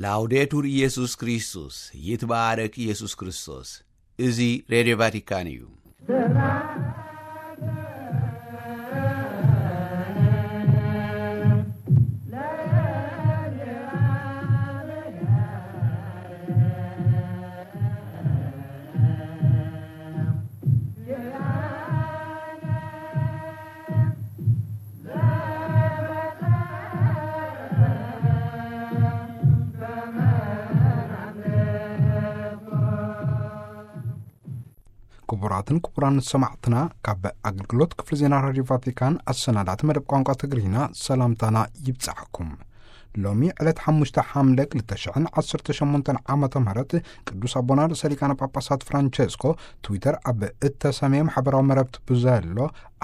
ላውዴቱር ኢየሱስ ክርስቶስ፣ ይትባረክ ኢየሱስ ክርስቶስ። እዚ ሬድዮ ቫቲካን እዩ። ክቡራትን ክቡራን ሰማዕትና፣ ካብ ኣገልግሎት ክፍሊ ዜና ራዲዮ ቫቲካን ኣሰናዳት መደብ ቋንቋ ትግርኛ ሰላምታና ይብጻሕኩም። ሎሚ ዕለት ሓሙሽተ ሓምለ ክልተ ሽሕን ዓሰርተ ሸሞንተን ዓመተ ምህረት ቅዱስ ኣቦና ርእሰ ሊቃነ ጳጳሳት ፍራንቸስኮ ትዊተር ኣብ እተሰመየ ማሕበራዊ መረብቲ ብዘሎ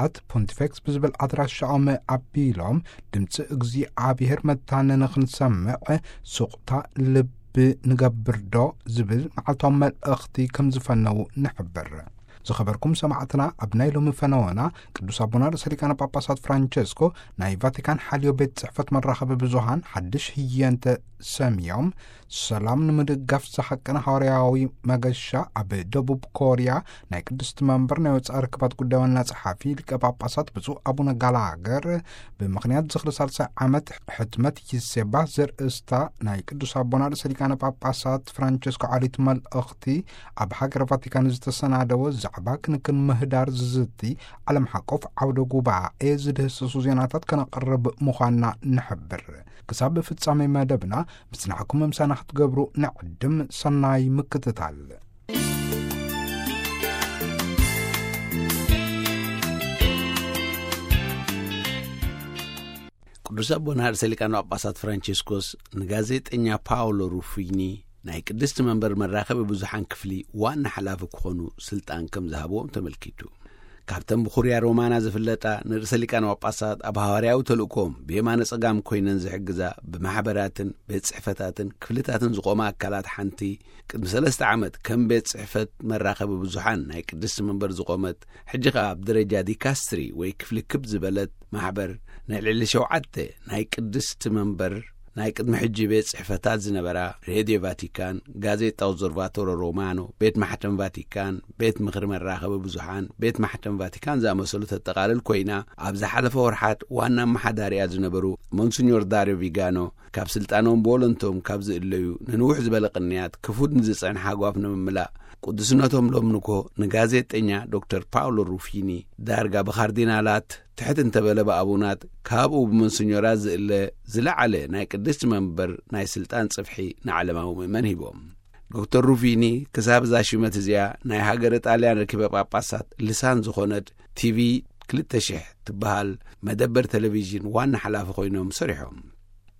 ኣት ፖንቲፌክስ ብዝብል ኣድራሻኦም ኣቢሎም፣ ድምፂ እግዚኣብሔር መታነኒ ክንሰምዕ ሱቕታ ልቢ ንገብር ዶ ዝብል መዓልታዊ መልእኽቲ ከም ዝፈነዉ ንሕብር። ዝኸበርኩም ሰማዕትና፣ ኣብ ናይ ሎሚ ፈነወና ቅዱስ ኣቦና ርእሰ ሊቃነ ጳጳሳት ፍራንቸስኮ ናይ ቫቲካን ሓልዮ ቤት ጽሕፈት መራኸቢ ብዙሃን ሓድሽ ህየንተ ሰምዮም፣ ሰላም ንምድጋፍ ዝሓቀነ ሃዋርያዊ መገሻ ኣብ ደቡብ ኮርያ ናይ ቅድስቲ መንበር ናይ ወጻኢ ርክባት ጉዳይ ዋና ጸሓፊ ሊቀ ጳጳሳት ብፁዕ ኣቡነ ጋላገር ብምኽንያት ዝኽሪ ሳልሳይ ዓመት ሕትመት ይሴባ ዘርእስታ ናይ ቅዱስ ኣቦና ርእሰ ሊቃነ ጳጳሳት ፍራንቸስኮ ዓሊት መልእኽቲ ኣብ ሃገረ ቫቲካን ዝተሰናደወ ዛዕባ ክንክን ምህዳር ዝዝቲ ዓለም ሓቆፍ ዓውደ ጉባኤ ዝድህስሱ ዜናታት ከነቕርብ ምዃንና ንሕብር። ክሳብ ፍጻሜ መደብና ምጽናሕኩም ምሳና ክትገብሩ ንዕድም። ሰናይ ምክትታል። ቅዱስ ኣቦና ርእሰ ሊቃነ ጳጳሳት ፍራንቸስኮስ ንጋዜጠኛ ፓውሎ ሩፊኒ ናይ ቅድስቲ መንበር መራኸቢ ብዙሓን ክፍሊ ዋና ሓላፊ ክኾኑ ስልጣን ከም ዝሃብዎም ተመልኪቱ። ካብተን ብኹርያ ሮማና ዝፍለጣ ንርእሰ ሊቃነ ጳጳሳት ኣብ ሃዋርያዊ ተልእኮም ብየማነ ጸጋም ኮይነን ዝሕግዛ ብማሕበራትን ቤት ጽሕፈታትን ክፍልታትን ዝቖማ ኣካላት ሓንቲ፣ ቅድሚ ሰለስተ ዓመት ከም ቤት ጽሕፈት መራኸቢ ብዙሓን ናይ ቅድስቲ መንበር ዝቖመት፣ ሕጂ ኸኣ ኣብ ደረጃ ዲካስትሪ ወይ ክፍሊ ክብ ዝበለት ማሕበር ናይ ልዕሊ ሸውዓተ ናይ ቅድስቲ መንበር ናይ ቅድሚ ሕጂ ቤት ጽሕፈታት ዝነበራ ሬድዮ ቫቲካን፣ ጋዜጣ ኦብዘርቫቶሮ ሮማኖ፣ ቤት ማሕተም ቫቲካን፣ ቤት ምኽሪ መራኸቢ ብዙሓን፣ ቤት ማሕተም ቫቲካን ዝኣመሰሉ ተጠቓልል ኮይና፣ ኣብ ዝሓለፈ ወርሓት ዋና ኣመሓዳሪኣ ዝነበሩ ሞንሲኞር ዳርዮ ቪጋኖ ካብ ስልጣኖም ብወለንቶም ካብ ዝእለዩ ንንውሕ ዝበለ ቅንያት ክፉት ንዝጸንሐ ሃጓፍ ንምምላእ፣ ቅዱስነቶም ሎም ንኮ ንጋዜጠኛ ዶክተር ፓውሎ ሩፊኒ ዳርጋ ብካርዲናላት ትሕት እንተበለ ብኣቡናት ካብኡ ብመንስኞራት ዝእለ ዝለዓለ ናይ ቅድስቲ መንበር ናይ ስልጣን ጽፍሒ ንዓለማዊ ምእመን ሂቦም። ዶክተር ሩፊኒ ክሳብ እዛ ሽመት እዚኣ ናይ ሃገረ ጣልያን ረኪበ ጳጳሳት ልሳን ዝኾነት ቲቪ ክልተ ሽሕ ትበሃል መደበር ቴሌቪዥን ዋና ሓላፊ ኮይኖም ሰሪሖም።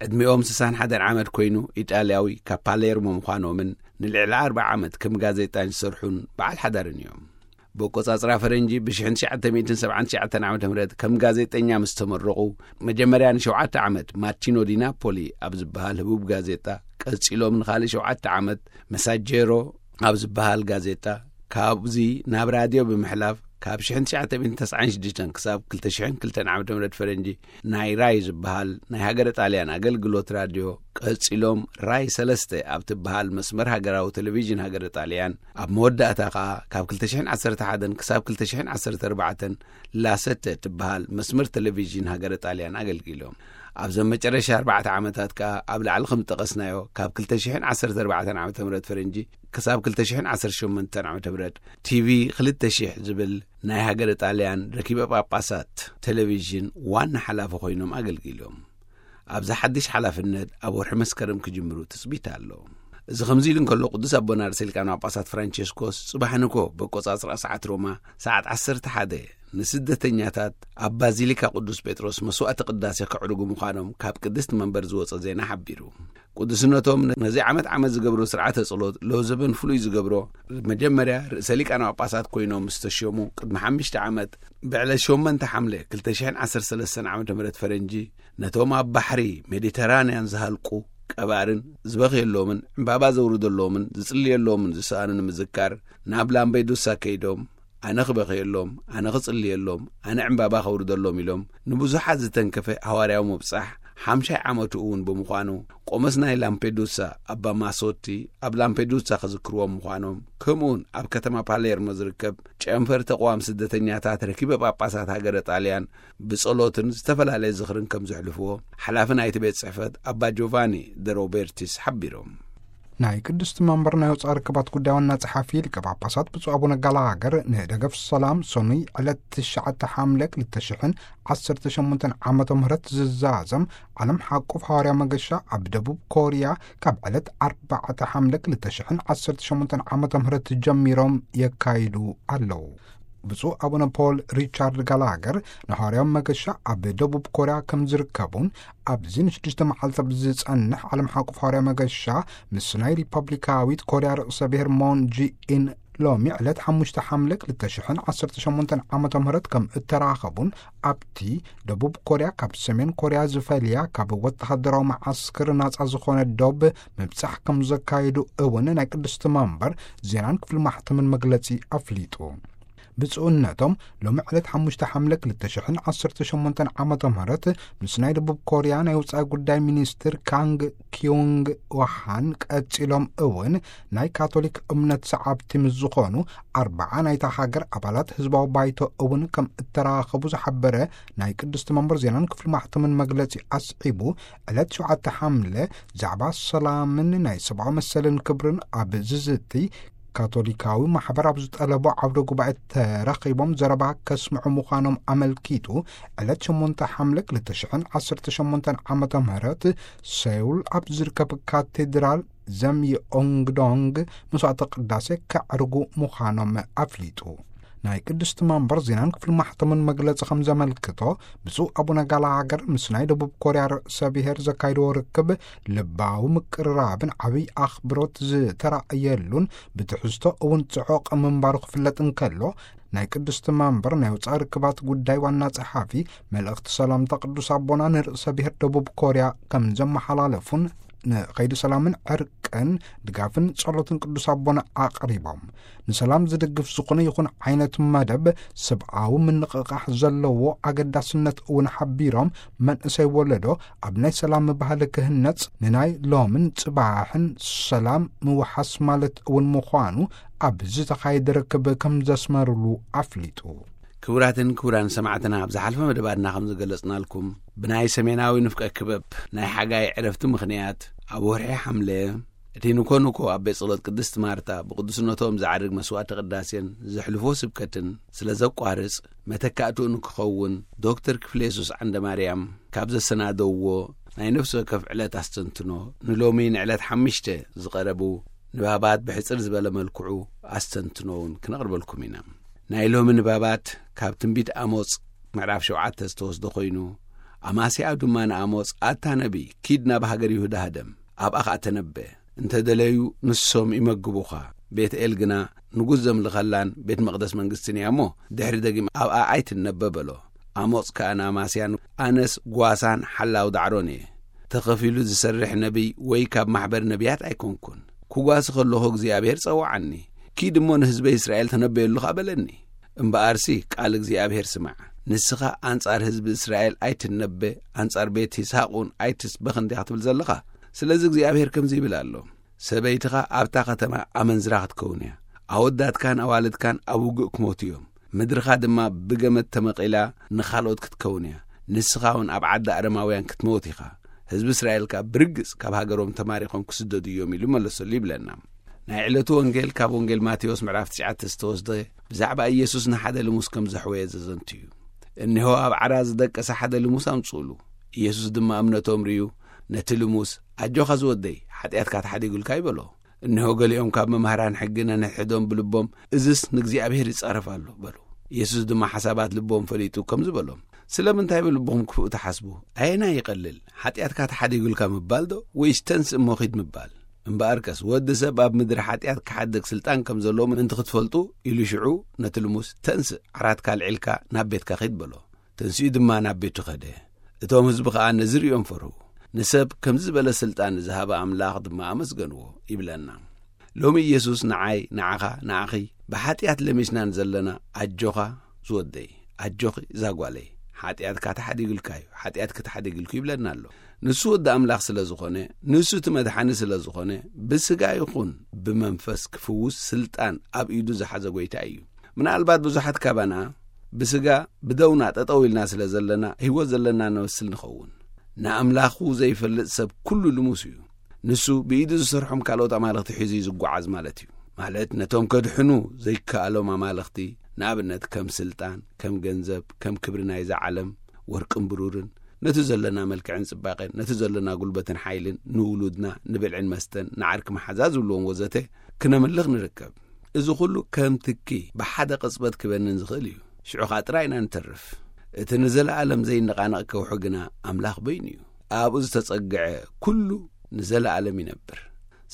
ዕድሚኦም ስሳን ሓደን ዓመት ኮይኑ ኢጣልያዊ ካብ ፓሌርሞ ምዃኖምን ንልዕሊ ኣርብዓ ዓመት ከም ጋዜጣን ዝሰርሑን በዓል ሓዳርን እዮም። ብቆጻጽራ ፈረንጂ ብ ሽሕን ትሽዓተ ሚእትን ሰብዓን ትሽዓተን ዓመተ ምህረት ከም ጋዜጠኛ ምስ ተመረቑ፣ መጀመርያ ንሸውዓተ ዓመት ማቲኖ ዲ ናፖሊ ኣብ ዝበሃል ህቡብ ጋዜጣ፣ ቀጺሎም ንኻልእ ሸውዓተ ዓመት መሳጀሮ ኣብ ዝበሃል ጋዜጣ፣ ካብዚ ናብ ራድዮ ብምሕላፍ ካብ ሽሕን ትሽዓተ ሚእትን ተስዓን ሽዱሽተን ክሳብ ክልተ ሽሕን ክልተን ዓመተ ምህረት ፈረንጂ ናይ ራይ ዝበሃል ናይ ሃገረ ጣልያን ኣገልግሎት ራድዮ፣ ቀጺሎም ራይ ሰለስተ ኣብ ትበሃል መስመር ሃገራዊ ቴሌቪዥን ሃገረ ጣልያን፣ ኣብ መወዳእታ ከኣ ካብ ክልተ ሽሕን ዓሰርተ ሓደን ክሳብ ክልተ ሽሕን ዓሰርተ ኣርባዕተን ላሰተ ትበሃል መስመር ቴሌቪዥን ሃገረ ጣልያን ኣገልጊሎም። ኣብዘን መጨረሻ ኣርባዕተ ዓመታት ከኣ ኣብ ላዕሊ ከም ዝጠቐስናዮ ካብ ክልተ ሽሕን ዓሰርተ ኣርባዕተን ዓመተ ምህረት ፈረንጂ ክሳብ ክልተ ሽሕን ዓሰርተ ሸሞንተን ዓመተ ምህረት ቲቪ ክልተ ሽሕ ዝብል ናይ ሃገረ ጣልያን ረኪበ ጳጳሳት ቴሌቪዥን ዋና ሓላፊ ኮይኖም ኣገልጊሎም። ኣብዚ ሓድሽ ሓላፍነት ኣብ ወርሒ መስከረም ክጅምሩ ትጽቢት ኣሎ። እዚ ከምዚ ኢሉ እንከሎ፣ ቅዱስ ኣቦና ርእሰ ሊቃነ ጳጳሳት ፍራንቸስኮስ ጽባሕ ንኮ በቆጻጽራ ሰዓት ሮማ ሰዓት ዓሰርተ ሓደ ንስደተኛታት ኣብ ባዚሊካ ቅዱስ ጴጥሮስ መስዋዕቲ ቅዳሴ ከዕርጉ ምዃኖም ካብ ቅድስቲ መንበር ዝወጸ ዜና ሓቢሩ። ቅዱስነቶም ነዚ ዓመት ዓመት ዝገብሮ ስርዓተ ጸሎት ሎዘበን ፍሉይ ዝገብሮ፣ መጀመርያ ርእሰ ሊቃነ ጳጳሳት ኮይኖም ዝተሸሙ ቅድሚ ሓሙሽተ ዓመት ብዕለት ሸሞንተ ሓምለ ክልተ ሽሕን ዓሰርተ ሰለስተን ዓመተ ምህረት ፈረንጂ፣ ነቶም ኣብ ባሕሪ ሜዲተራንያን ዝሃልቁ ቀባርን ዝበኽየሎምን ዕምባባ ዘውርደሎምን ዝጽልየሎምን ዝሰኣኑ ንምዝካር ናብ ላምቤዱሳ ከይዶም፣ ኣነ ክበኽየሎም፣ ኣነ ክጽልየሎም፣ ኣነ ዕምባባ ከውርደሎም ኢሎም ንብዙሓት ዝተንከፈ ሃዋርያዊ ምብጻሕ ሓምሻይ ዓመቱ እውን ብምዃኑ፣ ቆመስ ናይ ላምፔዱሳ ኣባ ማሶቲ ኣብ ላምፔዱሳ ክዝክርዎም ምዃኖም፣ ከምኡውን ኣብ ከተማ ፓሌርሞ ዝርከብ ጨንፈር ተቕዋም ስደተኛታት ረኪበ ጳጳሳት ሃገረ ጣልያን ብጸሎትን ዝተፈላለየ ዝኽርን ከም ዘሕልፍዎ፣ ሓላፊ ናይቲ ቤት ጽሕፈት ኣባ ጆቫኒ ደ ሮቤርቲስ ሓቢሮም። ናይ ቅድስቲ መንበር ናይ ወጻኢ ርክባት ጉዳይ ዋና ጸሓፊ ሊቀ ጳጳሳት ብፁዕ ኣቡነ ጋላሃገር ንደገፍ ሰላም ሰኑይ ዕለት ትሽዓተ ሓምለ ክልተ ሽሕን ዓሰርተ ሸሞንተን ዓመተ ምህረት ዝዛዘም ዓለም ሓቁፍ ሃዋርያ መገሻ ኣብ ደቡብ ኮርያ ካብ ዕለት ኣርባዕተ ሓምለ ክልተ ሽሕን ዓሰርተ ሸሞንተን ዓመተ ምህረት ጀሚሮም የካይዱ ኣለዉ። ብፁዕ ኣቡነ ፖል ሪቻርድ ጋላገር ንሃዋርያዊ መገሻ ኣብ ደቡብ ኮርያ ከም ዝርከቡን ኣብዚ ንሽዱሽተ መዓልቲ ኣብ ዝጸንሕ ዓለም ሓቁፍ ሃዋርያ መገሻ ምስ ናይ ሪፐብሊካዊት ኮርያ ርእሰ ብሔር ሞን ጂኢን ሎሚ ዕለት ሓሙሽተ ሓምለ ክልተ ሽሕን ዓሰርተ ሸሞንተን ዓመተ ምህረት ከም እተራኸቡን ኣብቲ ደቡብ ኮርያ ካብ ሰሜን ኮርያ ዝፈልያ ካብ ወተሃደራዊ መዓስክር ናጻ ዝኾነ ዶብ ምብጻሕ ከም ዘካየዱ እውን ናይ ቅድስቲ መንበር ዜናን ክፍሊ ማሕተምን መግለጺ ኣፍሊጡ። ብፁዕነቶም ሎሚ ዕለት ሓሙሽተ ሓምለ ክልተ ሽሕን ዓሰርተ ሸሞንተን ዓመተ ምህረት ምስ ናይ ደቡብ ኮርያ ናይ ወጻኢ ጉዳይ ሚኒስትር ካንግ ኪዩንግ ዋሃን ቀጺሎም እውን ናይ ካቶሊክ እምነት ሰዓብቲ ምስ ዝኾኑ ኣርባዓ ናይታ ሃገር ኣባላት ህዝባዊ ባይቶ እውን ከም እተራኸቡ ዝሓበረ ናይ ቅድስቲ መንበር ዜናን ክፍሊ ማሕተምን መግለጺ ኣስዒቡ፣ ዕለት ሸውዓተ ሓምለ ዛዕባ ሰላምን ናይ ሰብኣዊ መሰልን ክብርን ኣብ ዝዝቲ ካቶሊካዊ ማሕበር ኣብ ዝጠለቦ ዓውደ ጉባኤ ተረኺቦም ዘረባ ከስምዑ ምዃኖም ኣመልኪቱ፣ ዕለት ሸሞንተ ሓምለ ክልተ ሽሕን ዓሰርተ ሸሞንተን ዓመተ ምህረት ሰውል ኣብ ዝርከብ ካቴድራል ዘም የኦንግዶንግ መስዋዕተ ቅዳሴ ከዕርጉ ምዃኖም ኣፍሊጡ። ናይ ቅድስቲ መንበር ዜናን ክፍሊ ማሕተምን መግለጺ ከም ዘመልክቶ፣ ብፁዕ ኣቡነ ጋላሃገር ምስ ናይ ደቡብ ኮርያ ርእሰ ብሔር ዘካይድዎ ርክብ ልባዊ ምቅርራብን ዓብይ ኣኽብሮት ዝተራእየሉን ብትሕዝቶ እውን ጽዑቕ ምንባሩ ክፍለጥ እንከሎ፣ ናይ ቅድስቲ መንበር ናይ ወጻኢ ርክባት ጉዳይ ዋና ጸሓፊ መልእኽቲ ሰላምታ ቅዱስ ኣቦና ንርእሰ ብሔር ደቡብ ኮርያ ከም ዘመሓላለፉን ንኸይዲ ሰላምን ዕርቅን ድጋፍን ጸሎትን ቅዱስ ኣቦና ኣቕሪቦም፣ ንሰላም ዝድግፍ ዝኾነ ይኹን ዓይነት መደብ ሰብኣዊ ምንቕቓሕ ዘለዎ ኣገዳስነት እውን ሓቢሮም፣ መንእሰይ ወለዶ ኣብ ናይ ሰላም ባህሊ ክህነጽ ንናይ ሎምን ጽባሕን ሰላም ምውሓስ ማለት እውን ምዃኑ ኣብ ዝተኻየደ ርክብ ከም ዘስመሩሉ ኣፍሊጡ። ክቡራትን ክቡራን ሰማዕትና፣ ኣብ ዝሓለፈ መደባትና ከም ዝገለጽናልኩም፣ ብናይ ሰሜናዊ ንፍቀ ክበብ ናይ ሓጋይ ዕረፍቲ ምኽንያት፣ ኣብ ወርሒ ሓምለ እቲ ንኮ ንኮ ኣብ ቤት ጸሎት ቅድስቲ ማርታ ብቅዱስነቶም ዝዓርግ መስዋዕቲ ቅዳሴን ዘሕልፎ ስብከትን ስለ ዘቋርጽ፣ መተካእትኡ ንክኸውን ዶክተር ክፍለ የሱስ ዓንደ ማርያም ካብ ዘሰናደውዎ ናይ ነፍሲ ወከፍ ዕለት ኣስተንትኖ፣ ንሎሚ ንዕለት ሓሙሽተ ዝቐረቡ ንባባት ብሕጽር ዝበለ መልክዑ ኣስተንትኖ እውን ክነቕርበልኩም ኢና። ናይ ሎሚ ንባባት ካብ ትንቢት ኣሞጽ ምዕራፍ ሸውዓተ ዝተወስደ ኮይኑ፣ ኣማስያኡ ድማ ንኣሞጽ፣ ኣታ ነቢይ፣ ኪድ ናብ ሃገር ይሁዳ ህደም፣ ኣብኣ ኸኣ ተነበ፣ እንተ ደለዩ ንሶም ይመግቡኻ፣ ቤት ኤል ግና ንጉስ ዘምልኸላን ቤት መቕደስ መንግስትን እያ እሞ፣ ድሕሪ ደጊም ኣብኣ ኣይትነበ በሎ። ኣሞጽ ከኣ ንኣማስያ፣ ኣነስ ጓሳን ሓላው ዳዕሮን እየ። ተኸፊሉ ዝሰርሕ ነቢይ ወይ ካብ ማሕበር ነቢያት ኣይኮንኩን። ክጓሲ ከለኹ እግዚኣብሔር ጸውዓኒ፣ ኪድ እሞ ንህዝበይ እስራኤል ተነበየሉ ኸኣ በለኒ። እምበኣርሲ ቃል እግዚኣብሔር ስማዕ። ንስኻ ኣንጻር ህዝቢ እስራኤል ኣይትነበ፣ ኣንጻር ቤት ይስሃቅ እውን ኣይትስበኽ እንዲኻ ትብል ዘለኻ። ስለዚ እግዚኣብሔር ከምዚ ይብል ኣሎ፣ ሰበይትኻ ኣብታ ኸተማ ኣመንዝራ ክትከውን እያ። ኣወዳትካን ኣዋልድካን ኣብ ውግእ ክሞቱ እዮም። ምድርኻ ድማ ብገመድ ተመቒላ ንኻልኦት ክትከውን እያ። ንስኻ እውን ኣብ ዓዲ ኣረማውያን ክትሞት ኢኻ። ህዝቢ እስራኤል ከኣ ብርግጽ ካብ ሃገሮም ተማሪኾም ክስደዱ እዮም ኢሉ መለሰሉ ይብለና። ናይ ዕለቱ ወንጌል ካብ ወንጌል ማቴዎስ ምዕራፍ ትሽዓተ ዝተወስደ ብዛዕባ ኢየሱስ ንሓደ ልሙስ ከም ዘሕወየ ዘዘንቱ እዩ። እነሆ ኣብ ዓራ ዝደቀሰ ሓደ ልሙስ ኣምጽኡሉ። ኢየሱስ ድማ እምነቶም ርእዩ ነቲ ልሙስ፣ ኣጆኻ ዝወደይ፣ ሓጢኣትካ ተሓዲጉልካ እዩ በሎ። እነሆ ገሊኦም ካብ መምህራን ሕጊ ነንሕድሕዶም ብልቦም፣ እዝስ ንእግዚኣብሔር ይጻረፍ ኣሎ በሉ። ኢየሱስ ድማ ሓሳባት ልቦም ፈሊጡ ከምዚ በሎም፣ ስለምንታይ ብልብኹም ክፉእ ትሓስቡ? ኣየናይ ይቐልል፣ ሓጢኣትካ ተሓዲጉልካ ምባል ዶ፣ ወይስ ተንስእ እሞ ኺድ ምባል? እምበኣርከስ ወዲ ሰብ ኣብ ምድሪ ሓጢኣት ክሓድግ ስልጣን ከም ዘለዎ ምእንቲ ክትፈልጡ ኢሉ ሽዑ ነቲ ልሙስ፣ ተንስእ፣ ዓራትካ ኣልዒልካ ናብ ቤትካ ኺድ በሎ። ተንሲኡ ድማ ናብ ቤቱ ኸደ። እቶም ህዝቢ ኸኣ ነዚ ርእዮም ፈርሁ። ንሰብ ከምዚ ዝበለ ስልጣን ዝሃበ ኣምላኽ ድማ ኣመስገንዎ ይብለና። ሎሚ ኢየሱስ ንዓይ፣ ንዓኻ፣ ንዓኺ ብሓጢኣት ለሚስና ንዘለና ኣጆኻ ዝወደይ፣ ኣጆኺ እዛ ጓለይ፣ ሓጢኣትካ ተሓዲጉልካ እዩ፣ ሓጢኣትኪ ተሓዲጉልኩ ይብለና ኣሎ። ንሱ ወዲ ኣምላኽ ስለ ዝኾነ፣ ንሱ እቲ መድሓኒ ስለ ዝኾነ፣ ብስጋ ይኹን ብመንፈስ ክፍውስ ስልጣን ኣብ ኢዱ ዝሓዘ ጐይታ እዩ። ምናልባት ብዙሓት ካባና ብስጋ ብደውና ጠጠው ኢልና ስለ ዘለና፣ ህይወት ዘለና ንመስል ንኸውን። ንኣምላኹ ዘይፈልጥ ሰብ ኩሉ ልሙስ እዩ። ንሱ ብኢዱ ዝሰርሖም ካልኦት ኣማልኽቲ ሒዙ እዩ ዝጓዓዝ ማለት እዩ። ማለት ነቶም ከድሕኑ ዘይከኣሎም ኣማልኽቲ፣ ንኣብነት ከም ስልጣን፣ ከም ገንዘብ፣ ከም ክብሪ ናይዛ ዓለም፣ ወርቅን ብሩርን፣ ነቲ ዘለና መልክዕን ጽባቐን፣ ነቲ ዘለና ጉልበትን ሓይልን፣ ንውሉድና፣ ንብልዕን መስተን፣ ንዓርኪ መሓዛ ዝብልዎም ወዘተ ክነምልኽ ንርከብ። እዚ ኩሉ ከም ትኪ ብሓደ ቅጽበት ክበንን ዝኽእል እዩ። ሽዑ ኸኣ ጥራይ ኢና ንተርፍ። እቲ ንዘለኣለም ዘይነቓነቕ ከውሒ ግና ኣምላኽ በይኑ እዩ። ኣብኡ ዝተጸግዐ ኩሉ ንዘለኣለም ይነብር።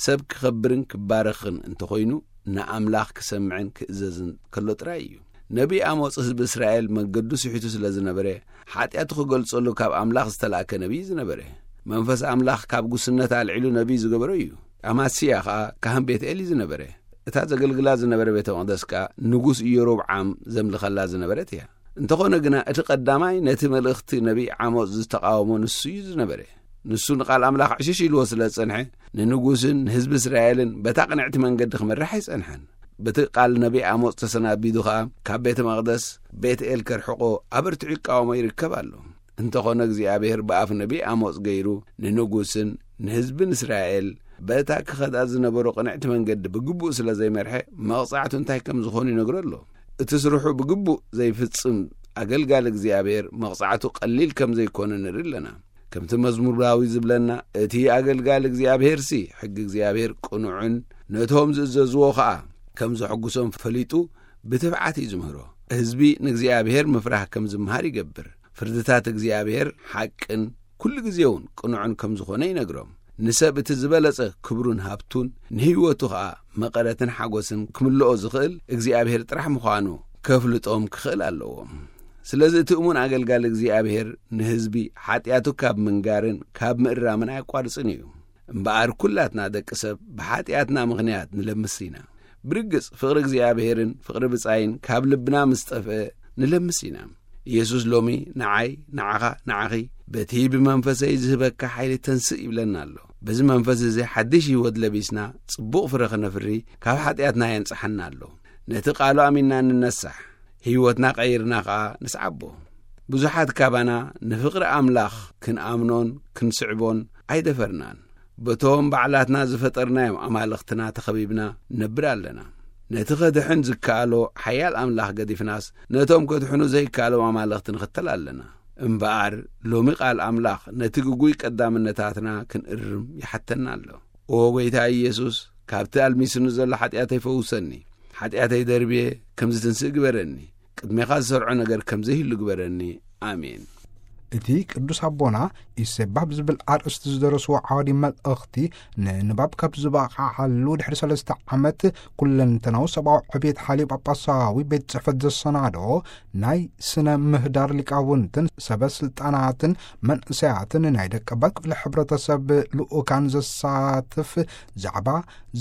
ሰብ ክኸብርን ክባረኽን እንተኾይኑ፣ ንኣምላኽ ክሰምዕን ክእዘዝን ከሎ ጥራይ እዩ። ነቢይ ኣሞጽ ህዝቢ እስራኤል መገዱ ስሒቱ ስለ ዝነበረ፣ ሓጢኣቱ ክገልጸሉ ካብ ኣምላኽ ዝተላእከ ነቢይ ዝነበረ። መንፈስ ኣምላኽ ካብ ጉስነት ኣልዒሉ ነቢይ ዝገበሮ እዩ። ኣማስያ ኸኣ ካህን ቤት ኤል እዩ ዝነበረ። እታ ዘገልግላ ዝነበረ ቤተ መቕደስ ከኣ ንጉስ ኢዮሮብዓም ዘምልኸላ ዝነበረት እያ። እንተኾነ ግና፣ እቲ ቀዳማይ ነቲ መልእኽቲ ነቢይ ዓሞጽ ዝተቓወሞ ንሱ እዩ ዝነበረ። ንሱ ንቓል ኣምላኽ ዕሽሽ ኢልዎ ስለ ዝጸንሐ፣ ንንጉስን ንህዝቢ እስራኤልን በታ ቅንዕቲ መንገዲ ክመርሕ ኣይጸንሐን። በቲ ቃል ነቢይ ኣሞጽ ተሰናቢዱ ኸኣ፣ ካብ ቤተ መቕደስ ቤት ኤል ከርሕቆ ኣበርቲዑ ይቃወሞ ይርከብ ኣሎ። እንተኾነ እግዚኣብሔር ብኣፍ ነቢይ ኣሞጽ ገይሩ ንንጉስን ንህዝብን እስራኤል በታ ክኸዳ ዝነበሮ ቅንዕቲ መንገዲ ብግቡእ ስለ ዘይመርሐ፣ መቕጻዕቱ እንታይ ከም ዝኾነ ይነግሮ ኣሎ። እቲ ስርሑ ብግቡእ ዘይፍጽም ኣገልጋሊ እግዚኣብሔር መቕጻዕቱ ቀሊል ከም ዘይኮነ ንርኢ ኣለና። ከምቲ መዝሙር ዳዊት ዝብለና፣ እቲ ኣገልጋሊ እግዚኣብሔርሲ ሕጊ እግዚኣብሔር ቅኑዕን ነቶም ዝእዘዝዎ ኸኣ ከም ዘሐጉሶም ፈሊጡ ብትብዓት እዩ ዝምህሮ። ህዝቢ ንእግዚኣብሔር ምፍራህ ከም ዝምሃር ይገብር። ፍርድታት እግዚኣብሔር ሓቅን ኩሉ ግዜ እውን ቅኑዕን ከም ዝኾነ ይነግሮም። ንሰብ እቲ ዝበለጸ ክብሩን ሃብቱን ንህይወቱ ኸኣ መቐረትን ሓጎስን ክምልኦ ዝኽእል እግዚኣብሔር ጥራሕ ምዃኑ ከፍልጦም ክኽእል ኣለዎም። ስለዚ እቲ እሙን ኣገልጋሊ እግዚኣብሔር ንህዝቢ ሓጢኣቱ ካብ ምንጋርን ካብ ምእራምን ኣየቋርጽን እዩ። እምበኣር ኩላትና ደቂ ሰብ ብሓጢኣትና ምኽንያት ንለምስ ኢና። ብርግጽ ፍቕሪ እግዚኣብሔርን ፍቕሪ ብጻይን ካብ ልብና ምስ ጠፍአ ንለምስ ኢና። ኢየሱስ ሎሚ ንዓይ፣ ንዓኻ፣ ንዓኺ በቲ ብመንፈሰይ ዝህበካ ሓይሊ ተንስእ ይብለና ኣሎ። በዚ መንፈስ እዚ ሓድሽ ህይወት ለቢስና ጽቡቕ ፍረ ክነፍሪ ካብ ሓጢኣትና የንጽሓና ኣሎ። ነቲ ቃሉ ኣሚንና ንነሳሕ፣ ህይወትና ቀይርና ኸኣ ንስዓቦ። ብዙሓት ካባና ንፍቕሪ ኣምላኽ ክንኣምኖን ክንስዕቦን ኣይደፈርናን። በቶም ባዕላትና ዝፈጠርናዮም ኣማልኽትና ተኸቢብና ንነብር ኣለና። ነቲ ከድሕን ዝከኣሎ ሓያል ኣምላኽ ገዲፍናስ፣ ነቶም ከድሕኑ ዘይከኣሎም ኣማልኽቲ ንኽተል ኣለና። እምበኣር፣ ሎሚ ቃል ኣምላኽ ነቲ ግጉይ ቀዳምነታትና ክንእርም ይሓተና ኣሎ። ኦ ጐይታ ኢየሱስ፣ ካብቲ ኣልሚስኒ ዘሎ ሓጢኣተይ ፈውሰኒ። ሓጢኣተይ ደርብየ ከም ዝትንስእ ግበረኒ። ቅድሜኻ ዝሰርዖ ነገር ከም ዘይህሉ ግበረኒ። ኣሜን። እቲ ቅዱስ ኣቦና ኢሴባ ብዝብል ኣርእስቲ ዝደረስዎ ዓዋዲ መልእኽቲ ንንባብ ካብ ዝበቕዓሉ ድሕሪ ሰለስተ ዓመት፣ ኩለንተናዊ ሰብኣዊ ዕብየት ሓልዩ ጳጳሳዊ ቤት ጽሕፈት ዘሰናዶ ናይ ስነ ምህዳር ሊቃውንትን ሰበ ስልጣናትን መንእሰያትን ናይ ደቀባት ክፍሊ ሕብረተሰብ ልኡካን ዘሳትፍ ዛዕባ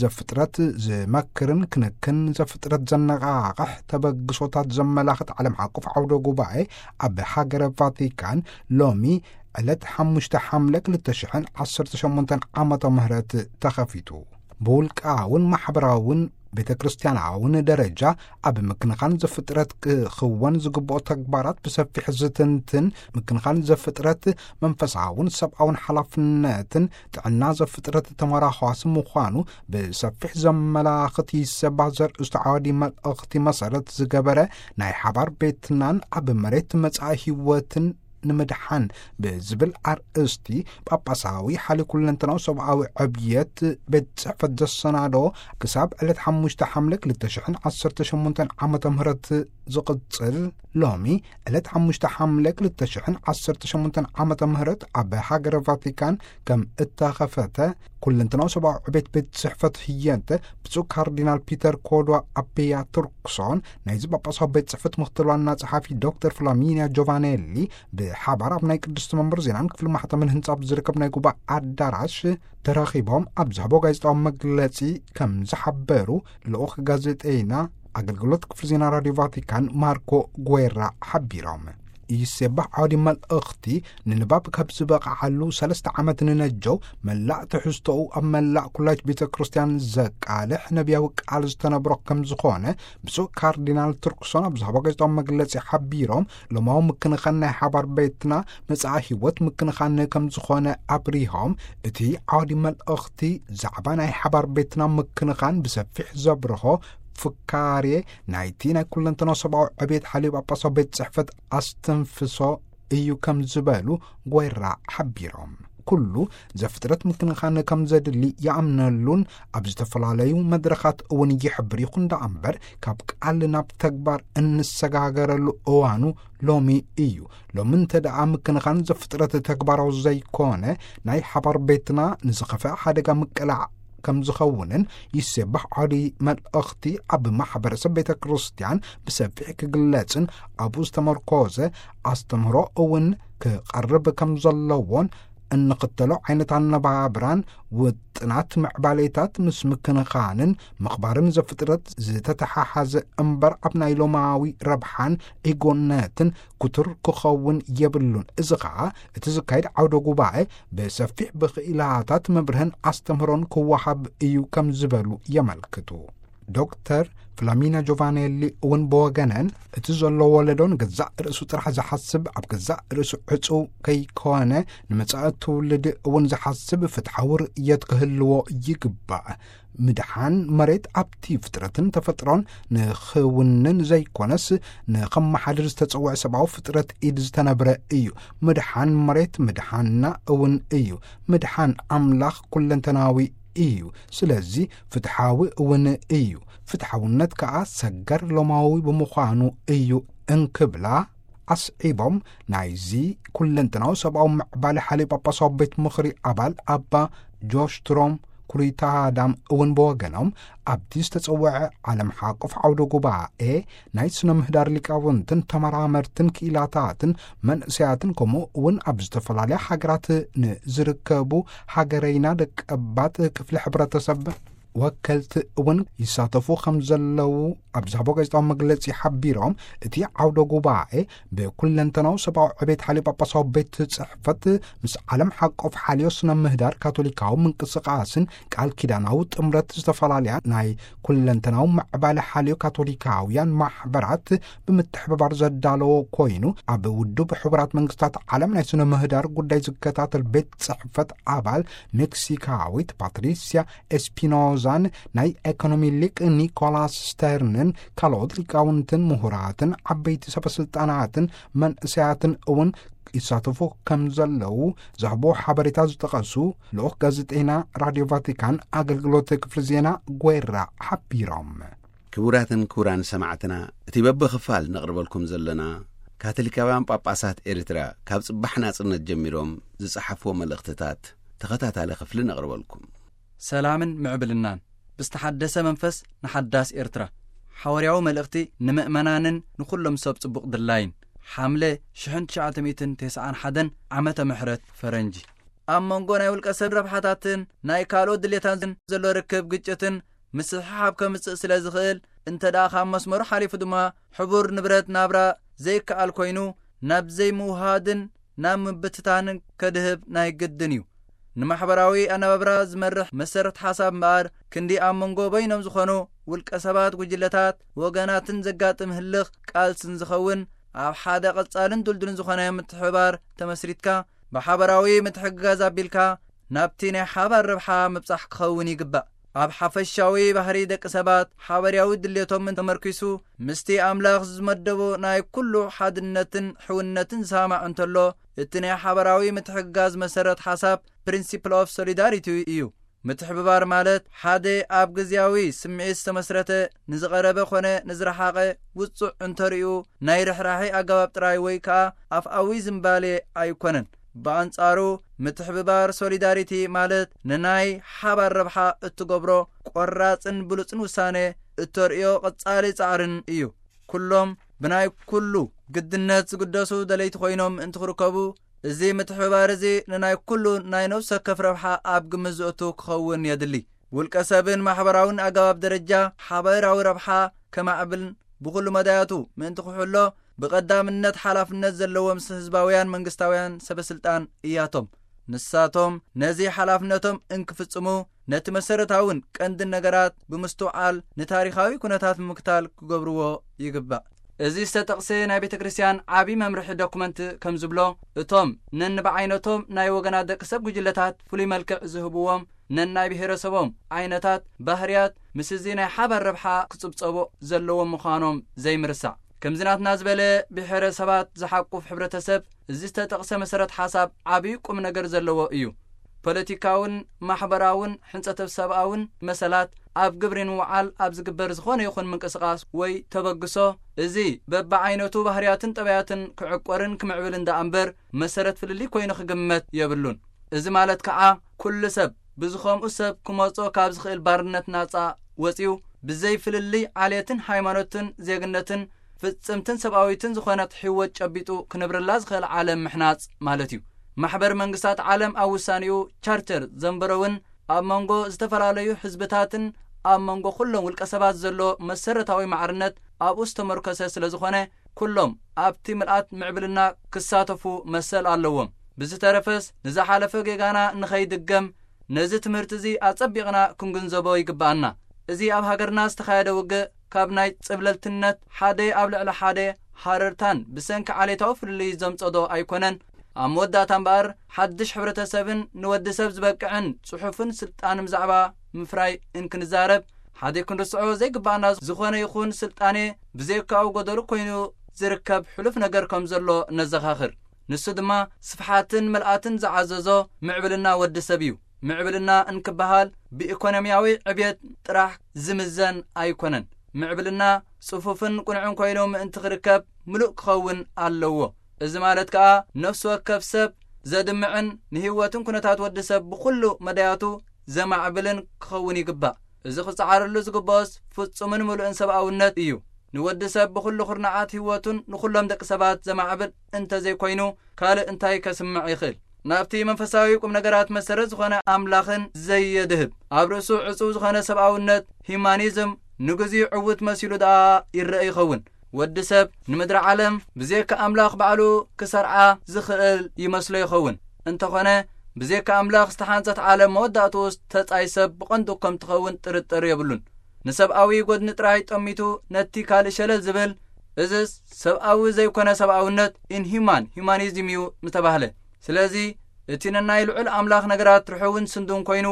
ዘፍጥረት ዝመክርን ክንክን ዘፍጥረት ዘነቓቕሕ ተበግሶታት ዘመላኽት ዓለም ዓቀፍ ዓውደ ጉባኤ ኣብ ሃገረ ቫቲካን ሎሚ ዕለት ሓሙሽተ ሓምለ ክልተ ሽሕን ዓሰርተ ሸሞንተን ዓመተ ምህረት ተኸፊቱ። ብውልቃውን ማሕበራውን ቤተ ክርስቲያናውን ደረጃ ኣብ ምክንኻን ዘፍጥረት ክኽወን ዝግብኦ ተግባራት ብሰፊሕ ዝትንትን፣ ምክንኻን ዘፍጥረት መንፈሳውን ሰብኣውን ሓላፍነትን ጥዕና ዘፍጥረት ተመራዃሲ ምዃኑ ብሰፊሕ ዘመላኽት ኢሰባ ዘርእስቱ ዓዋዲ መልእኽቲ መሰረት ዝገበረ ናይ ሓባር ቤትናን ኣብ መሬት መጻኢ ህይወትን ንምድሓን ብዝብል ኣርእስቲ ጳጳሳዊ ሓሊ ኩለንተናዊ ሰብኣዊ ዕብየት ቤት ጽሕፈት ዘሰናዶ ክሳብ ዕለት ሓሙሽተ ሓምለ ክልተ ሽሕን ዓሰርተ ሸሞንተን ዓመተ ምህረት ዝቕጽል፣ ሎሚ ዕለት ሓሙሽተ ሓምለ ክልተ ሽሕን ዓሰርተ ሸሞንተን ዓመተ ምህረት ኣብ ሃገረ ቫቲካን ከም እተኸፈተ ኩለንተናዊ ሰብኣዊ ዕቤት ቤት ጽሕፈት ህየንተ ብፁዕ ካርዲናል ፒተር ኮዶ ኣቤያ ቱርክሶን ናይዚ ጳጳሳዊ ቤት ጽሕፈት ምክትል ዋና ጸሓፊ ዶክተር ፍላሚኒያ ጆቫኔሊ ብሓባር ኣብ ናይ ቅድስቲ መንበር ዜናን ክፍሊ ማሕተምን ህንጻ ኣብ ዝርከብ ናይ ጉባኤ ኣዳራሽ ተራኺቦም ኣብ ዝሃቦ ጋዜጣዊ መግለጺ ከም ዝሓበሩ ልኡኽ ጋዜጠይና ኣገልግሎት ክፍሊ ዜና ራድዮ ቫቲካን ማርኮ ጉዌራ ሓቢሮም። ይሴባሕ ዓውዲ መልእኽቲ ንንባብ ካብ ዝበቕዓሉ ሰለስተ ዓመት ንነጀው፣ መላእ ትሕዝቶኡ ኣብ መላእ ኩላይት ቤተ ክርስቲያን ዘቃልሕ ነቢያዊ ቃል ዝተነብሮ ከም ዝኾነ ብፁዕ ካርዲናል ቱርክሶን ኣብ ዝሃቦ ጋዜጣዊ መግለጺ ሓቢሮም፣ ሎማዊ ምክንኻን ናይ ሓባር ቤትና መጻኢ ህይወት ምክንኻን ከም ዝኾነ ኣብሪሆም፣ እቲ ዓውዲ መልእኽቲ ዛዕባ ናይ ሓባር ቤትና ምክንኻን ብሰፊሕ ዘብርሆ ፍካሬ ናይቲ ናይ ኩለንተናዊ ሰብኣዊ ዕቤት ሓልዮ ጳጳሳዊ ቤት ጽሕፈት ኣስተንፍሶ እዩ ከም ዝበሉ ጓይራ ሓቢሮም። ኩሉ ዘፍጥረት ምክንኻን ከም ዘድሊ ይኣምነሉን ኣብ ዝተፈላለዩ መድረኻት እውን ይሕብር። ይኹን ደኣ እምበር ካብ ቃል ናብ ተግባር እንሰጋገረሉ እዋኑ ሎሚ እዩ። ሎሚ እንተ ደኣ ምክንኻን ዘፍጥረት ተግባራዊ ዘይኮነ ናይ ሓባር ቤትና ንዝኸፍአ ሓደጋ ምቅላዕ ከም ዝኸውንን ይሴባሕ ዓውዲ መልእኽቲ ኣብ ማሕበረሰብ ቤተ ክርስቲያን ብሰፊሕ ክግለጽን ኣብኡ ዝተመርኮዘ ኣስተምህሮ እውን ክቐርብ ከም ዘለዎን እንኽተሎ ዓይነት ኣነባብራን ውጥናት ምዕባሌታት ምስ ምክንኻንን ምኽባርን ዘፍጥረት ዝተተሓሓዘ እምበር ኣብ ናይ ሎማዊ ረብሓን ኢጎነትን ክቱር ክኸውን የብሉን። እዚ ኸኣ እቲ ዝካየድ ዓውደ ጉባኤ ብሰፊሕ ብኽኢላታት መብርህን ኣስተምህሮን ክወሃብ እዩ ከም ዝበሉ የመልክቱ። ዶክተር ፍላሚና ጆቫኔሊ እውን ብወገነን እቲ ዘሎ ወለዶ ንገዛእ ርእሱ ጥራሕ ዝሓስብ፣ ኣብ ገዛእ ርእሱ ዕጹው ከይኮነ ንመጻኢ ትውልዲ እውን ዝሓስብ ፍትሓዊ ርእየት ክህልዎ ይግባእ። ምድሓን መሬት ኣብቲ ፍጥረትን ተፈጥሮን ንኽውንን ዘይኮነስ ንኸመሓድር ዝተጸውዐ ሰብኣዊ ፍጥረት ኢድ ዝተነብረ እዩ። ምድሓን መሬት ምድሓንና እውን እዩ። ምድሓን ኣምላኽ ኩለንተናዊ እዩ። ስለዚ ፍትሓዊ እውን እዩ። ፍትሓውነት ከኣ ሰገር ሎማዊ ብምዃኑ እዩ እንክብላ ኣስዒቦም፣ ናይዚ ኩለንተናዊ ሰብኣዊ ምዕባለ ሓልዮ ጳጳሳዊ ቤት ምኽሪ ኣባል ኣባ ጆሽ ትሮም ኩሪታዳም እውን ብወገኖም ኣብቲ ዝተጸውዐ ዓለም ሓቆፍ ዓውደ ጉባኤ ናይ ስነ ምህዳር ሊቃውንትን ተመራመርትን ክኢላታትን መንእሰያትን ከምኡ እውን ኣብ ዝተፈላለያ ሃገራት ንዝርከቡ ሃገረይና ደቀባት ክፍሊ ሕብረተሰብ ወከልቲ እውን ይሳተፉ ከም ዘለዉ ኣብ ዝሃቦ ጋዜጣዊ መግለጺ ሓቢሮም፣ እቲ ዓውደ ጉባኤ ብኩለንተናዊ ሰብኣዊ ዕቤት ሓልዮ ጳጳሳዊ ቤት ጽሕፈት ምስ ዓለም ሓቆፍ ሓልዮ ስነ ምህዳር ካቶሊካዊ ምንቅስቃስን ቃል ኪዳናዊ ጥምረት ዝተፈላለያ ናይ ኩለንተናዊ ምዕባለ ሓልዮ ካቶሊካውያን ማሕበራት ብምትሕብባር ዘዳለዎ ኮይኑ፣ ኣብ ውድብ ሕቡራት መንግስታት ዓለም ናይ ስነ ምህዳር ጉዳይ ዝከታተል ቤት ጽሕፈት ኣባል ሜክሲካዊት ፓትሪሲያ ኤስፒኖዛን ናይ ኤኮኖሚ ሊቅ ኒኮላስ ስተርንን ካልኦት ሊቃውንትን ምሁራትን ዓበይቲ ሰበስልጣናትን መንእሰያትን እውን ይሳተፉ ከም ዘለዉ ዝህቦ ሓበሬታ ዝጠቐሱ ልኡኽ ጋዜጠይና ራድዮ ቫቲካን ኣገልግሎት ክፍሊ ዜና ጓይራ ሓቢሮም። ክቡራትን ክቡራን ሰማዕትና፣ እቲ በብኽፋል ነቕርበልኩም ዘለና ካቶሊካውያን ጳጳሳት ኤርትራ ካብ ጽባሕ ናጽነት ጀሚሮም ዝጸሓፍዎ መልእኽትታት ተኸታታሊ ክፍሊ ነቕርበልኩም። ሰላምን ምዕብልናን ብዝተሓደሰ መንፈስ ንሓዳስ ኤርትራ። ሓዋርያዊ መልእኽቲ ንምእመናንን ንኹሎም ሰብ ጽቡቕ ድላይን። ሓምለ ሽሕን ትሽዓተ ሚእትን ተስዓን ሓደን ዓመተ ምሕረት ፈረንጂ። ኣብ መንጎ ናይ ውልቀ ሰብ ረብሓታትን ናይ ካልኦት ድሌታትን ዘሎ ርክብ ግጭትን ምስሕሓብ ከምጽእ ስለ ዝኽእል፣ እንተ ደኣ ካብ መስመሩ ሓሊፉ ድማ ሕቡር ንብረት ናብራ ዘይከኣል ኮይኑ፣ ናብ ዘይምውሃድን ናብ ምብትታንን ከድህብ ናይ ግድን እዩ። ንማሕበራዊ ኣነባብራ ዝመርሕ መሰረት ሓሳብ እምበኣር፣ ክንዲ ኣብ መንጎ በይኖም ዝኾኑ ውልቀ ሰባት፣ ጉጅለታት፣ ወገናትን ዘጋጥም ህልኽ ቃልስን ዝኸውን፣ ኣብ ሓደ ቀጻልን ድልዱልን ዝኾነ ምትሕብባር ተመስሪትካ፣ ብሓበራዊ ምትሕግጋዝ ኣቢልካ ናብቲ ናይ ሓባር ረብሓ ምብጻሕ ክኸውን ይግባእ። ኣብ ሓፈሻዊ ባህሪ ደቂ ሰባት ሓበርያዊ ድሌቶም ተመርኪሱ፣ ምስቲ ኣምላኽ ዝመደቦ ናይ ኩሉ ሓድነትን ሕውነትን ዝሰማማዕ እንተሎ፣ እቲ ናይ ሓባራዊ ምትሕግጋዝ መሰረት ሓሳብ፣ ፕሪንሲፕል ኦፍ ሶሊዳሪቲ፣ እዩ። ምትሕብባር ማለት ሓደ ኣብ ግዝያዊ ስምዒት ዝተመስረተ፣ ንዝቐረበ ኾነ ንዝረሓቐ ውጹዕ እንተርእዩ ናይ ርሕራሒ ኣገባብ ጥራይ ወይ ከኣ ኣፍኣዊ ዝምባሌ ኣይኮነን። ብኣንጻሩ፣ ምትሕብባር ሶሊዳሪቲ ማለት ንናይ ሓባር ረብሓ እትገብሮ ቆራጽን ብሉጽን ውሳነ፣ እተርእዮ ቀጻሊ ጻዕርን እዩ። ኩሎም ብናይ ኩሉ ግድነት ዝግደሱ ደለይቲ ኮይኖም ምእንቲ ክርከቡ፣ እዚ ምትሕብባር እዚ ንናይ ኩሉ ናይ ነፍሲ ወከፍ ረብሓ ኣብ ግምት ዘእቱ ክኸውን የድሊ። ውልቀ ሰብን ማሕበራውን ኣገባብ ደረጃ ሓባራዊ ረብሓ ከማዕብልን ብኹሉ መዳያቱ ምእንቲ ክሕሎ ብቐዳምነት ሓላፍነት ዘለዎም ህዝባውያን መንግስታውያን ሰበስልጣን እያቶም። ንሳቶም ነዚ ሓላፍነቶም እንክፍጽሙ ነቲ መሰረታውን ቀንድን ነገራት ብምስትውዓል ንታሪኻዊ ኩነታት ምክታል ክገብርዎ ይግባእ። እዚ ዝተጠቕሰ ናይ ቤተ ክርስቲያን ዓቢ መምርሒ ዶኩመንት ከም ዝብሎ፣ እቶም ነንብዓይነቶም ናይ ወገናት ደቂ ሰብ ጉጅለታት ፍሉይ መልክዕ ዝህብዎም ነናይ ብሔረሰቦም ዓይነታት ባህርያት ምስ እዚ ናይ ሓባር ረብሓ ክጽብጸቦ ዘለዎም ምዃኖም ዘይምርሳዕ። ከምዚ ናትና ዝበለ ብሔረሰባት ዝሓቁፍ ሕብረተሰብ እዚ ዝተጠቕሰ መሰረት ሓሳብ ዓቢ ቁም ነገር ዘለዎ እዩ። ፖለቲካውን ማሕበራውን ሕንጸተ ሰብኣውን መሰላት ኣብ ግብሪ ንምውዓል ኣብ ዝግበር ዝኾነ ይኹን ምንቅስቓስ ወይ ተበግሶ፣ እዚ በብዓይነቱ ባህርያትን ጠባያትን ክዕቆርን ክምዕብል እንዳ እምበር መሰረት ፍልልይ ኮይኑ ክግመት የብሉን። እዚ ማለት ከዓ ኩሉ ሰብ ብዝኸምኡ ሰብ ክመጾ ካብ ዝኽእል ባርነት ናጻ ወጺኡ ብዘይ ፍልልይ ዓሌትን ሃይማኖትን ዜግነትን ፍጽምትን ሰብኣዊትን ዝኾነት ህይወት ጨቢጡ ክነብረላ ዝኽእል ዓለም ምሕናጽ ማለት እዩ። ማሕበር መንግስታት ዓለም ኣብ ውሳኔኡ ቻርተር ዘንበረውን ኣብ መንጎ ዝተፈላለዩ ህዝብታትን ኣብ መንጎ ኩሎም ውልቀ ሰባት ዘሎ መሰረታዊ ማዕርነት ኣብኡ ዝተመርኮሰ ስለ ዝኾነ ኩሎም ኣብቲ ምልኣት ምዕብልና ክሳተፉ መሰል ኣለዎም። ብዝተረፈስ ንዝሓለፈ ጌጋና ንኸይድገም ነዚ ትምህርቲ እዚ ኣጸቢቕና ክንግንዘቦ ይግብኣና። እዚ ኣብ ሃገርና ዝተኻየደ ውግእ ካብ ናይ ጽብለልትነት ሓደ ኣብ ልዕሊ ሓደ ሃረርታን ብሰንኪ ዓሌታዊ ፍልልይ ዘምጸዶ ኣይኮነን። ኣብ መወዳእታ እምበኣር ሓድሽ ሕብረተሰብን ንወዲ ሰብ ዝበቅዕን ጽሑፍን ስልጣን ብዛዕባ ምፍራይ እንክንዛረብ ሓደ ክንርስዖ ዘይግባኣና ዝኾነ ይኹን ስልጣኔ ብዘይካኡ ጎደሉ ኮይኑ ዝርከብ ሕሉፍ ነገር ከም ዘሎ ነዘኻኽር። ንሱ ድማ ስፍሓትን ምልኣትን ዝዓዘዞ ምዕብልና ወዲ ሰብ እዩ። ምዕብልና እንክበሃል ብኢኮኖሚያዊ ዕብየት ጥራሕ ዝምዘን ኣይኮነን። ምዕብልና ጽፉፍን ቅኑዕን ኮይኑ ምእንቲ ክርከብ ምሉእ ክኸውን ኣለዎ። እዚ ማለት ከኣ ነፍሲ ወከፍ ሰብ ዘድምዕን ንህይወትን ኩነታት ወዲ ሰብ ብኹሉ መዳያቱ ዘማዕብልን ክኸውን ይግባእ። እዚ ክጸዓረሉ ዝግብኦስ ፍጹምን ምሉእን ሰብኣውነት እዩ። ንወዲ ሰብ ብኹሉ ኩርናዓት ህይወቱን ንኹሎም ደቂ ሰባት ዘማዕብል እንተዘይኮይኑ ካልእ እንታይ ከስምዕ ይኽእል? ናብቲ መንፈሳዊ ቁም ነገራት መሰረት ዝኾነ ኣምላኽን ዘየድህብ ኣብ ርእሱ ዕጹው ዝኾነ ሰብኣውነት ሂማኒዝም ንግዚኡ ዕውት መሲሉ ደኣ ይረአ ይኸውን። ወዲ ሰብ ንምድሪ ዓለም ብዘይካ ኣምላኽ ባዕሉ ክሰርዓ ዝኽእል ይመስሎ ይኸውን። እንተኾነ ብዘይካ ኣምላኽ ዝተሓንጸት ዓለም መወዳእትኡስ ተጻይ ሰብ ብቐንዱ ከም ትኸውን ጥርጥር የብሉን። ንሰብኣዊ ጎድኒ ጥራይ ጠሚቱ ነቲ ካልእ ሸለል ዝብል፣ እዝስ ሰብኣዊ ዘይኮነ ሰብኣውነት፣ ኢንሂማን ሂማኒዝም እዩ ምተባህለ። ስለዚ እቲ ነናይ ልዑል ኣምላኽ ነገራት ርሑውን ስንዱን ኮይኑ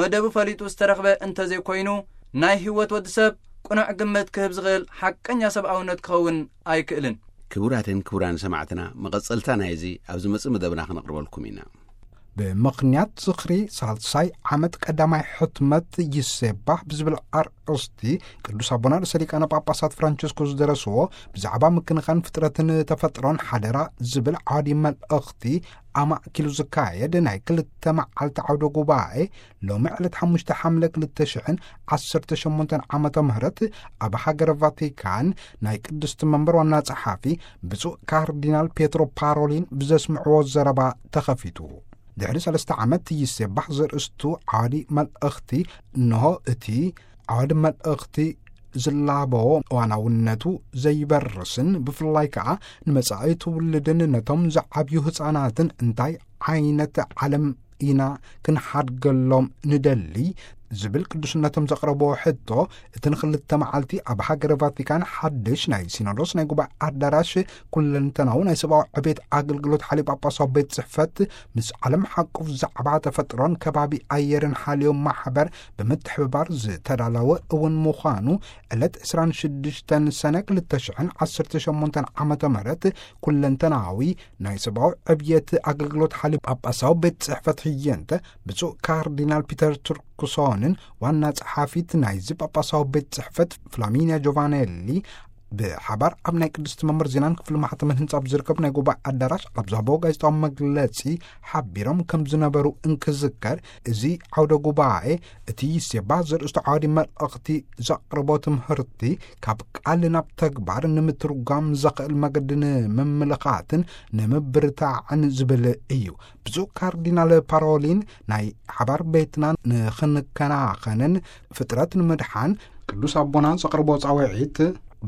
መደቡ ፈሊጡ ዝተረኽበ እንተዘይኮይኑ ናይ ህይወት ወዲ ሰብ ቅኑዕ ግምት ክህብ ዝኽእል ሓቀኛ ሰብኣውነት ክኸውን ኣይክእልን። ክቡራትን ክቡራን ሰማዕትና፣ መቐጸልታ ናይዚ ኣብ ዝመጽእ መደብና ክነቕርበልኩም ኢና። ብምኽንያት ዝኽሪ ሳልሳይ ዓመት ቀዳማይ ሕትመት ይሴባህ ብዝብል ኣርእስቲ ቅዱስ ኣቦና ርእሰ ሊቃነ ጳጳሳት ፍራንቸስኮ ዝደረስዎ ብዛዕባ ምክንኻን ፍጥረትን ተፈጥሮን ሓደራ ዝብል ዓዲ መልእኽቲ ኣማእኪሉ ዝካየድ ናይ ክልተ መዓልቲ ዓውደ ጉባኤ ሎሚ ዕለት ሓሙሽተ ሓምለ ክልተ ሽሕን ዓሰርተ ሸሞንተን ዓመተ ምህረት ኣብ ሃገረ ቫቲካን ናይ ቅድስቲ መንበር ዋና ጸሓፊ ብፁዕ ካርዲናል ፔትሮ ፓሮሊን ብዘስምዕዎ ዘረባ ተኸፊቱ። ድሕሪ ሰለስተ ዓመት ይሴባህ ዘርእስቱ ዓዋዲ መልእኽቲ፣ እንሆ እቲ ዓዋዲ መልእኽቲ ዝላበዎ እዋናውነቱ ዘይበርስን ብፍላይ ከኣ ንመጻኢ ትውልድን ነቶም ዝዓብዩ ህጻናትን እንታይ ዓይነት ዓለም ኢና ክንሓድገሎም ንደሊ ዝብል ቅዱስነቶም ዘቕረብዎ ሕቶ፣ እቲ ንክልተ መዓልቲ ኣብ ሃገረ ቫቲካን ሓድሽ ናይ ሲኖዶስ ናይ ጉባኤ ኣዳራሽ ኩለንተናዊ ናይ ሰብኣዊ ዕቤት ኣገልግሎት ሓልዮ ጳጳሳዊ ቤት ጽሕፈት ምስ ዓለም ሓቁፍ ዛዕባ ተፈጥሮን ከባቢ ኣየርን ሓልዮ ማሕበር ብምትሕብባር ዝተዳለወ እውን ምዃኑ ዕለት ዕስራን ሽዱሽተን ሰነ ክልተ ሽሕን ዓሰርተ ሸሞንተን ዓመተ ምህረት ኩለንተናዊ ናይ ሰብኣዊ ዕብየት ኣገልግሎት ሓልዮ ጳጳሳዊ ቤት ጽሕፈት ህየንተ ብፁዕ ካርዲናል ፒተር ቱርክሶንን ዋና ጸሓፊት ናይዚ ጳጳሳዊ ቤት ጽሕፈት ፍላሚንያ ጆቫኔሊ ብሓባር ኣብ ናይ ቅድስቲ መንበር ዜናን ክፍሊ ማሕተምን ህንጻ ኣብ ዝርከብ ናይ ጉባኤ ኣዳራሽ ኣብ ዝሃቦ ጋዜጣዊ መግለጺ ሓቢሮም ከም ዝነበሩ እንክዝከር፣ እዚ ዓውደ ጉባኤ እቲ ይሴባ ዘርእስቱ ዓውዲ መልእኽቲ ዘቕርቦ ትምህርቲ ካብ ቃል ናብ ተግባር ንምትርጓም ዘኽእል መገዲ ንምምልኻትን ንምብርታዕን ዝብል እዩ። ብፁዕ ካርዲናል ፓሮሊን ናይ ሓባር ቤትና ንኽንከናኸንን ፍጥረት ንምድሓን ቅዱስ ኣቦና ዘቕርቦ ጻውዒት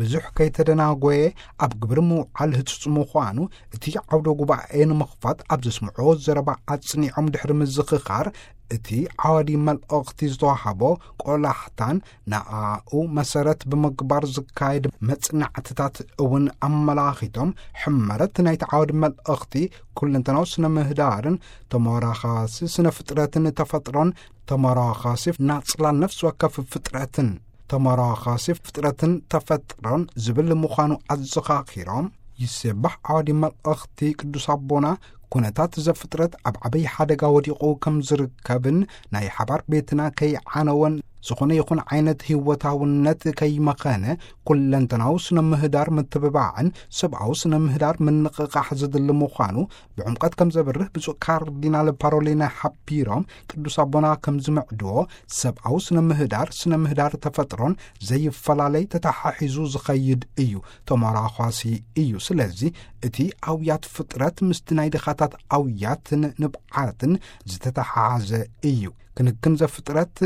ብዙሕ ከይተደናጎየ ኣብ ግብሪ ምውዓል ህጹጽ ምዃኑ እቲ ዓውደ ጉባኤ ንምኽፋት ኣብ ዘስምዖ ዘረባ ኣጽኒዖም ድሕሪ ምዝኽኻር፣ እቲ ዓዋዲ መልእኽቲ ዝተዋህቦ ቆላሕታን ንኣኡ መሰረት ብምግባር ዝካየድ መጽናዕትታት እውን ኣመላኺቶም፣ ሕመረት ናይቲ ዓዋዲ መልእኽቲ ኩለንተናዊ ስነ ምህዳርን ተመራኻሲ ስነ ፍጥረትን ተፈጥሮን ተመራኻሲ ናጽላን ነፍሲ ወከፍ ፍጥረትን ተመራኻሲ ፍጥረትን ተፈጥሮን ዝብል ምዃኑ ኣዘኻኺሮም፣ ይሴባሕ ዓዋዲ መልእኽቲ ቅዱስ ኣቦና ኩነታት ዘፍጥረት ኣብ ዓበይ ሓደጋ ወዲቑ ከም ዝርከብን ናይ ሓባር ቤትና ከይዓነወን ዝኾነ ይኹን ዓይነት ህይወታውነት ከይመኸነ ኩለንተናዊ ስነ ምህዳር ምትብባዕን ሰብኣዊ ስነ ምህዳር ምንቕቓሕ ዝድሊ ምዃኑ ብዕምቀት ከም ዘብርህ ብፁዕ ካርዲናል ፓሮሊና ሓቢሮም፣ ቅዱስ ኣቦና ከም ዝምዕድዎ ሰብኣዊ ስነ ምህዳር፣ ስነ ምህዳር ተፈጥሮን ዘይፈላለይ ተተሓሒዙ ዝኸይድ እዩ፣ ተመራኳሲ እዩ። ስለዚ እቲ ኣውያት ፍጥረት ምስቲ ናይ ድኻታት ኣውያትን ንብዓትን ዝተተሓሓዘ እዩ። ክንክን ዘፍጥረት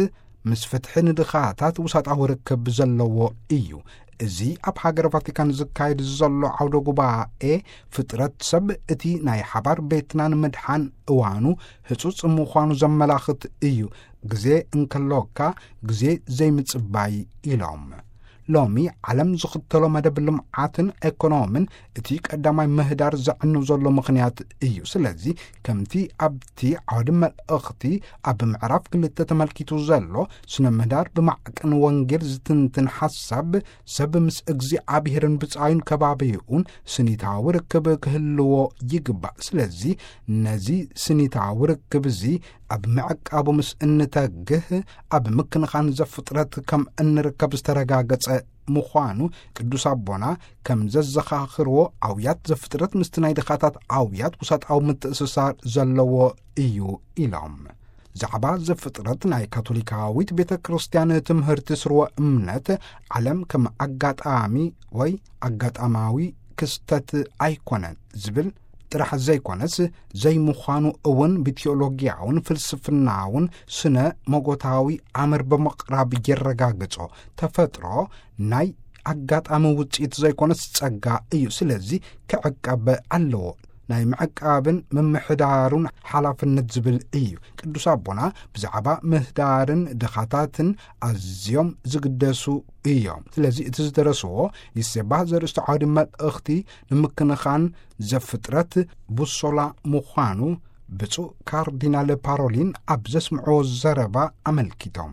ምስ ፍትሒ ንድኻታት ውሳጣዊ ርክብ ዘለዎ እዩ። እዚ ኣብ ሃገር ቫቲካን ዝካየድ ዘሎ ዓውደ ጉባኤ ፍጥረት ሰብ እቲ ናይ ሓባር ቤትና ንምድሓን እዋኑ ህጹጽ ምዃኑ ዘመላኽት እዩ። ግዜ እንከሎካ ግዜ ዘይምጽባይ ኢሎም። ሎሚ ዓለም ዝኽተሎ መደብ ልምዓትን ኤኮኖምን እቲ ቀዳማይ ምህዳር ዘዕኑ ዘሎ ምኽንያት እዩ። ስለዚ ከምቲ ኣብቲ ዓውዲ መልእኽቲ ኣብ ምዕራፍ ክልተ ተመልኪቱ ዘሎ ስነ ምህዳር ብማዕቀን ወንጌል ዝትንትን ሓሳብ ሰብ ምስ እግዚኣብሔርን ብጻዩን ከባቢኡን ስኒታዊ ርክብ ክህልዎ ይግባእ። ስለዚ ነዚ ስኒታዊ ርክብ እዚ ኣብ ምዕቃቡ ምስ እንተግህ ኣብ ምክንኻን ዘፍጥረት ከም እንርከብ ዝተረጋገጸ ምዃኑ ቅዱስ ኣቦና ከም ዘዘኻኽርዎ ኣውያት ዘፍጥረት ምስቲ ናይ ድኻታት ኣውያት ውሳጣዊ ምትእስሳር ዘለዎ እዩ ኢሎም። ዛዕባ ዘፍጥረት ናይ ካቶሊካዊት ቤተ ክርስቲያን ትምህርቲ ስርወ እምነት ዓለም ከም ኣጋጣሚ ወይ ኣጋጣማዊ ክስተት ኣይኮነን ዝብል ጥራሕ ዘይኮነስ ዘይምዃኑ እውን ብቴዎሎጊያውን ፍልስፍናውን ስነ መጎታዊ ኣምር ብምቕራብ የረጋግጾ። ተፈጥሮ ናይ ኣጋጣሚ ውጽኢት ዘይኮነስ ጸጋ እዩ። ስለዚ ክዕቀብ ኣለዎ። ናይ ምዕቃብን ምምሕዳሩን ሓላፍነት ዝብል እዩ። ቅዱስ ኣቦና ብዛዕባ ምህዳርን ድኻታትን ኣዝዮም ዝግደሱ እዮም። ስለዚ እቲ ዝደረስዎ ይሴባህ ዘርእስቱ ዓውዲ መልእኽቲ ንምክንኻን ዘፍጥረት ቡሶላ ምዃኑ ብፁዕ ካርዲናል ፓሮሊን ኣብ ዘስምዕዎ ዘረባ ኣመልኪቶም።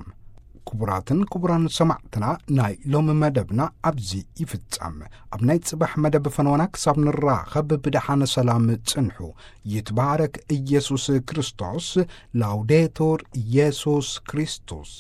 ክቡራትን ክቡራን ሰማዕትና፣ ናይ ሎሚ መደብና ኣብዚ ይፍጸም። ኣብ ናይ ጽባሕ መደብ ፈነወና ክሳብ ንራኸብ ብደሓነ ሰላም ጽንሑ። ይትባረክ ኢየሱስ ክርስቶስ። ላውዴቱር ኢየሱስ ክርስቶስ።